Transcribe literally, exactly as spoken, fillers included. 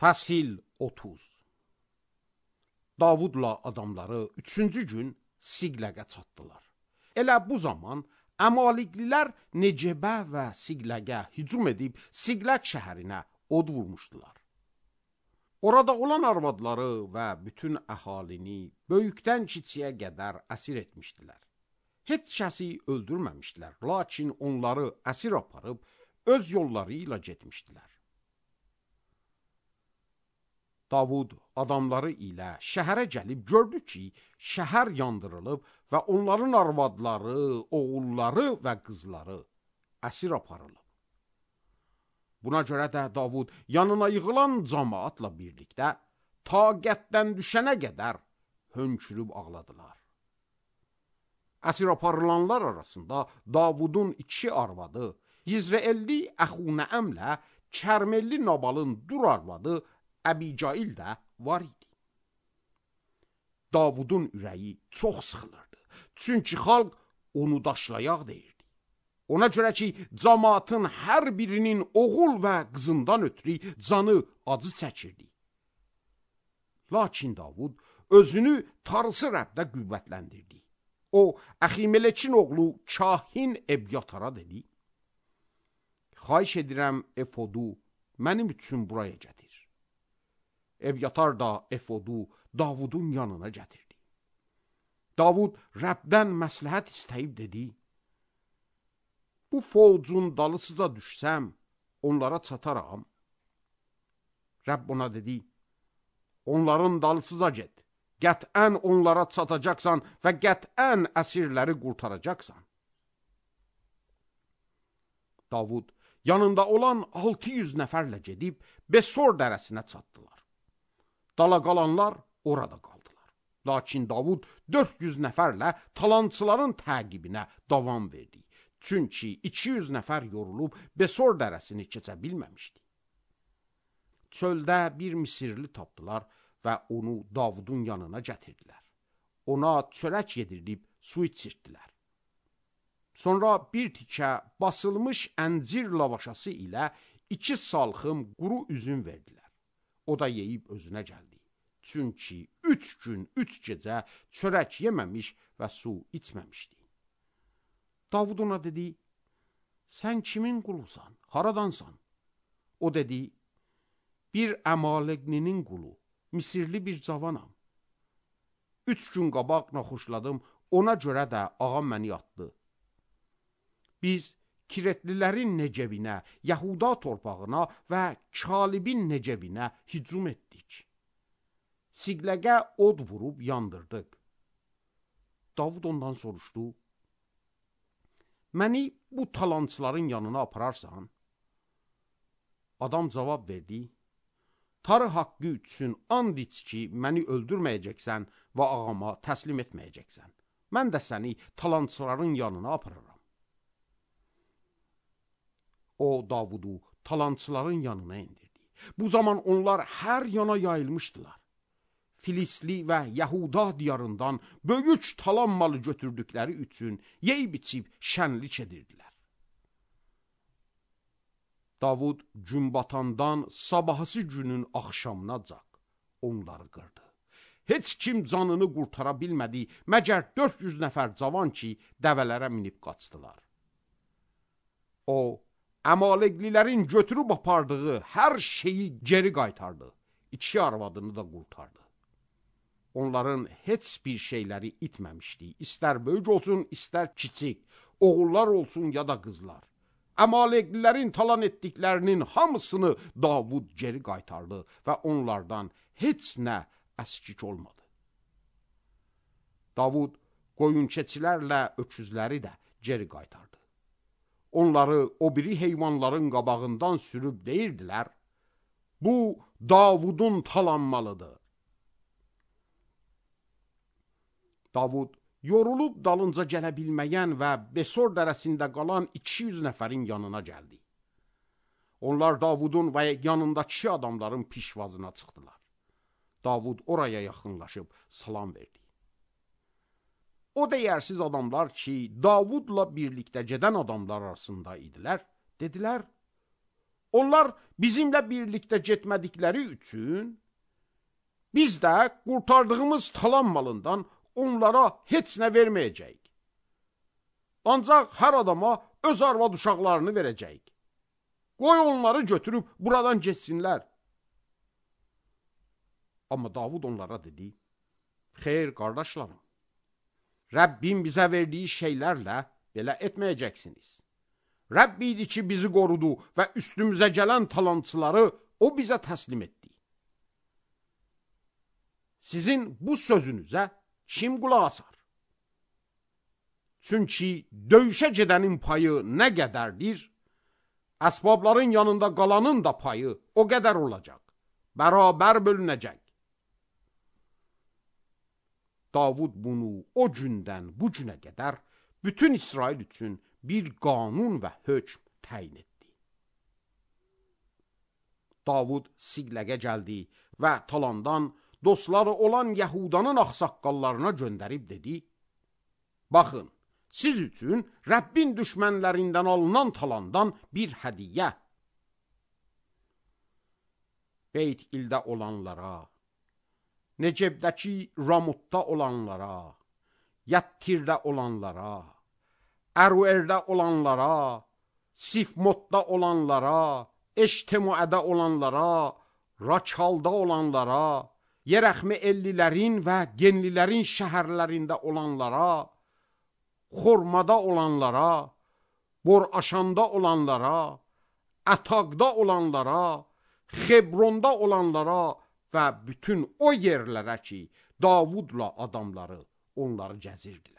Fəsil otuz. Davudla adamları üçüncü gün Siqləqə çatdılar. Elə bu zaman Əmaliqlilər Necebə və Siqləqə hücum edib Siqləq şəhərinə od vurmuşdular. Orada olan arvadları və bütün əhalini böyükdən kiçiyə qədər əsir etmişdilər. Heç kəsi öldürməmişdilər, lakin onları əsir aparıb öz yolları ilə getmişdilər. Davud adamları ilə şəhərə gəlib gördü ki, şəhər yandırılıb və onların arvadları, oğulları və qızları əsir aparılıb. Buna görə də Davud yanına yığılan cəmaatla birlikdə taqətdən düşənə qədər hönkürüb ağladılar. Əsir aparılanlar arasında Davudun iki arvadı, Yizreelli Əxunəəmlə Kərmelli Nabalın dur arvadı Əbicail də var idi. Davudun ürəyi çox sıxılırdı. Çünki xalq onu daşlayaq deyirdi. Ona görə ki, cəmaatın hər birinin oğul və qızından ötürü canı acı çəkirdi. Lakin Davud özünü Tarısı Rəbdə qüvvətləndirdi. O, Əximelekin oğlu Kahin Ebyatara dedi: Xahiş edirəm efodu mənim üçün buraya gətir. Ebyatar da efodu Davudun yanına gətirdi. Davud Rəbdən məsləhət istəyib dedi: Bu fovcun dalısıca düşsəm, onlara çataram. Rəbb ona dedi: Onların dalısıca get. Qətən onlara çatacaqsan və qətən əsirləri qurtaracaqsan. Davud yanında olan altı yüz nəfərlə gedib Besor dərəsinə çatdılar. Dala qalanlar orada qaldılar. Lakin Davud dörd yüz nəfərlə talançıların təqibinə davam verdi. Çünki iki yüz nəfər yorulub Besor dərəsini keçə bilməmişdi. Çöldə bir Misirli tapdılar və onu Davudun yanına gətirdilər. Ona çörək yedirdib su içirtdilər. Sonra bir tikə basılmış əncir lavaşası ilə iki salxım quru üzüm verdilər. O da yeyib özünə gəldi. Çünki üç gün, üç gecə çörək yeməmiş və su içməmişdi. Davud ona dedi: Sən kimin qulusan, haradansan? O dedi: Bir Əmaleqlinin qulu, Misirli bir cavanam. Üç gün qabaq naxoşladım, ona görə də ağam məni atdı. Biz Kiretlilərin Necebinə, Yahuda torpağına və Kalibin Necebinə hücum etdik. Siqləqə od vurub yandırdıq. Davud ondan soruşdu: Məni bu talançıların yanına apararsan? Adam cavab verdi: Tarı haqqı üçün and iç ki, məni öldürməyəcəksən və ağama təslim etməyəcəksən. Mən də səni talançıların yanına apararam. O, Davudu talançıların yanına indirdi. Bu zaman onlar hər yana yayılmışdılar. Filistli və Yahuda diyarından böyük talan malı götürdükləri üçün yeyib içib şənlik edirdilər. Davud gün batandan sabahısı günün axşamına caq onları qırdı. Heç kim canını qurtara bilmədi, məgər dörd yüz nəfər cavan ki, dəvələrə minib qaçdılar. O, Əmaleqlilərin götürüb apardığı hər şeyi geri qaytardı. İki arvadını da qurtardı. Onların heç bir şeyləri itməmişdi. İstər böyük olsun, istər kiçik, oğullar olsun ya da qızlar. Əmaleqlilərin talan etdiklərinin hamısını Davud geri qaytardı və onlardan heç nə əskik olmadı. Davud qoyunçeçilərlə öküzləri də geri qaytardı. Onları o biri heyvanların qabağından sürüb deyirdilər: Bu Davudun talanmalıdır. Davud yorulub dalınca gələ bilməyən və Besor dərəsində qalan iki yüz nəfərin yanına gəldi. Onlar Davudun və yanındakı adamların pişvazına çıxdılar. Davud oraya yaxınlaşıb salam verdi. O dəyərsiz adamlar ki, Davudla birlikdə gedən adamlar arasında idilər, dedilər: Onlar bizimlə birlikdə getmədikləri üçün biz də qurtardığımız talan malından onlara heç nə verməyəcəyik. Ancaq hər adama öz arvad uşaqlarını verəcəyik. Qoy onları götürüb buradan geçsinlər. Amma Davud onlara dedi, xeyr qardaşlarım, Rəbbim bizə verdiyi şeylərlə belə etməyəcəksiniz. Rəbb idi ki, bizi qorudu və üstümüzə gələn talançıları o bizə təslim etdi. Sizin bu sözünüzə kim qulaq asar? Çünki döyüşə gedənin payı nə qədərdir, əsbabların yanında qalanın da payı o qədər olacaq, bərabər bölünəcək. Davud bunu o gündən bu günə qədər bütün İsrail üçün bir qanun və hökm təyin etdi. Davud Siqləqə gəldi və talandan dostları olan Yahudanın ağsaqqallarına göndərib dedi, baxın, siz üçün Rəbbin düşmənlərindən alınan talandan bir hədiyyə. Beyt ildə olanlara, Necebdəki Ramutda olanlara, Yəttirdə olanlara, Əruerdə olanlara, Sifmotda olanlara, Eştemuədə olanlara, Rakalda olanlara, Yerəxmi ellilərin və genlilərin şəhərlərində olanlara, Xormada olanlara, Boraşanda olanlara, Ətaqda olanlara, Xebronda olanlara və bütün o yerlərə ki, Davudla adamları onları gəzirdilər.